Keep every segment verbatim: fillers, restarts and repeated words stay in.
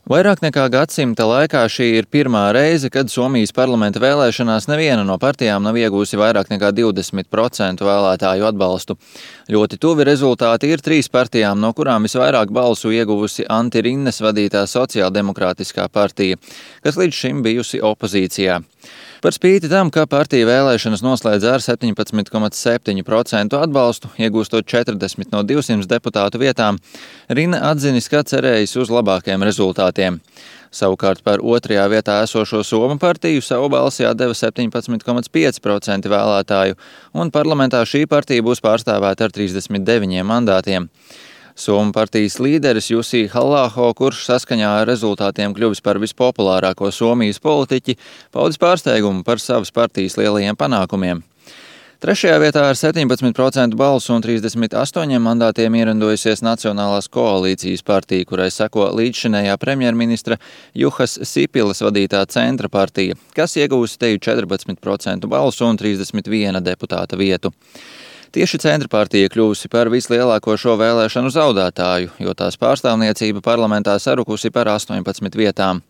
Vairāk nekā gadsimta laikā šī ir pirmā reize, kad Somijas parlamenta vēlēšanās neviena no partijām nav iegūsi vairāk nekā divdesmit procentu vēlētāju atbalstu. Ļoti tuvi rezultāti ir trīs partijām, no kurām visvairāk balsu ieguvusi Anti Rinnes vadītā Sociāldemokrātiskā partija, kas līdz šim bijusi opozīcijā. Par spīti tam, ka partija vēlēšanas noslēdz ar septiņpadsmit komats septiņi procenti atbalstu, iegūstot četrdesmit no divsimta deputātu vietām, Rinne atzinis, ka cerējis uz labākiem rezultātiem. Savukārt par otrajā vietā esošo Somu partiju savu balsi atdeva septiņpadsmit komats pieci procenti vēlētāju, un parlamentā šī partija būs pārstāvēta ar trīsdesmit deviņiem mandātiem. Somu partijas līderis Jussi Halla-aho, kurš saskaņā ar rezultātiem kļuvis par vispopulārāko Somijas politiķi, paudis pārsteigumu par savas partijas lielajiem panākumiem. Trešajā vietā ar septiņpadsmit procentu balsu un trīsdesmit astoņiem mandātiem ierindojusies Nacionālās koalīcijas partija, kurai seko līdzšinējā premjerministra Juhas Sipilas vadītā Centra partija, kas iegūsi teju četrpadsmit procentu balsu un trīsdesmit viena deputāta vietu. Tieši Centra partija kļuvusi par vislielāko šo vēlēšanu zaudētāju, jo tās pārstāvniecība parlamentā sarukusi par astoņpadsmit vietām.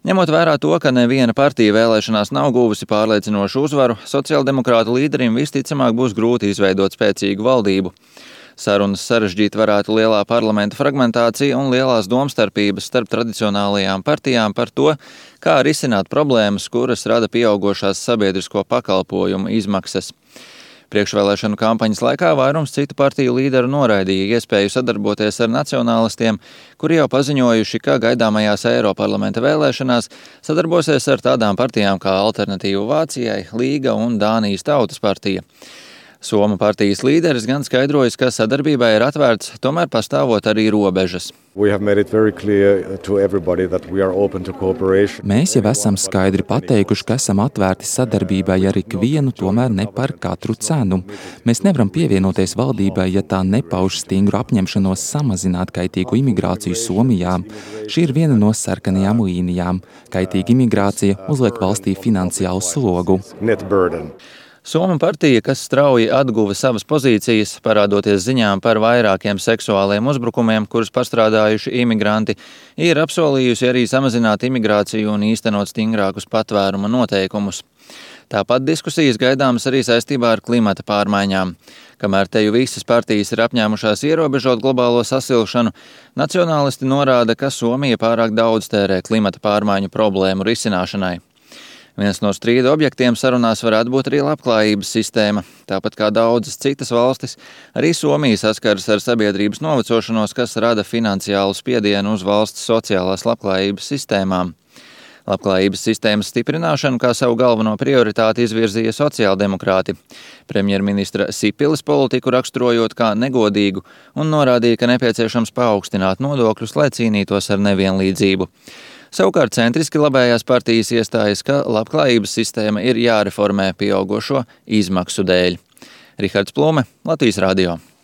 Ņemot vērā to, ka neviena partija vēlēšanās nav guvusi pārliecinošu uzvaru, sociāldemokrātu līderim visticamāk būs grūti izveidot spēcīgu valdību. Sarunas sarežģīt varētu lielā parlamenta fragmentācija un lielās domstarpības starp tradicionālajām partijām par to, kā risināt problēmas, kuras rada pieaugošās sabiedrisko pakalpojumu izmaksas. Priekšvēlēšanu kampaņas laikā vairums citu partiju līderu noraidīja iespēju sadarboties ar nacionālistiem, kuri jau paziņojuši, ka gaidāmajās Eiroparlamenta vēlēšanās sadarbosies ar tādām partijām kā Alternatīva Vācijai, Līga un Dānijas Tautas partija. Somu partijas līderis gan skaidrojas, ka sadarbībai ir atvērts, tomēr pastāvot arī robežas. Mēs jau esam skaidri pateikuši, ka esam atvērti sadarbībai ar ikvienu, tomēr ne par katru cenu. Mēs nevaram pievienoties valdībai, ja tā nepauž stingru apņemšanos samazināt kaitīgu imigrāciju Somijā. Šī ir viena no sarkanajām līnijām. Kaitīga imigrācija uzliek valstī finansiālu slogu. Somu partija, kas strauji atguva savas pozīcijas, parādoties ziņām par vairākiem seksuāliem uzbrukumiem, kurus pastrādājuši imigranti, ir apsolījusi arī samazināt imigrāciju un īstenot stingrākus patvēruma noteikumus. Tāpat diskusijas gaidāmas arī saistībā ar klimata pārmaiņām. Kamēr teju visas partijas ir apņēmušās ierobežot globālo sasilšanu, nacionālisti norāda, ka Somija pārāk daudz tērē klimata pārmaiņu problēmu risināšanai. Viens no strīda objektiem sarunās varētu būt arī labklājības sistēma. Tāpat kā daudzas citas valstis, arī Somija saskaras ar sabiedrības novecošanos, kas rada finansiālu spiedienu uz valsts sociālās labklājības sistēmām. Labklājības sistēmas stiprināšanu kā savu galveno prioritāti izvirzīja sociāldemokrāti. Premjerministra Sipilas politiku raksturojot kā negodīgu un norādīja, ka nepieciešams paaugstināt nodokļus, lai cīnītos ar nevienlīdzību. Savukārt centriski labējās partijas iestājas, ka labklājības sistēma ir jāreformē pieaugošo izmaksu dēļ. Rihards Plume, Latvijas radio.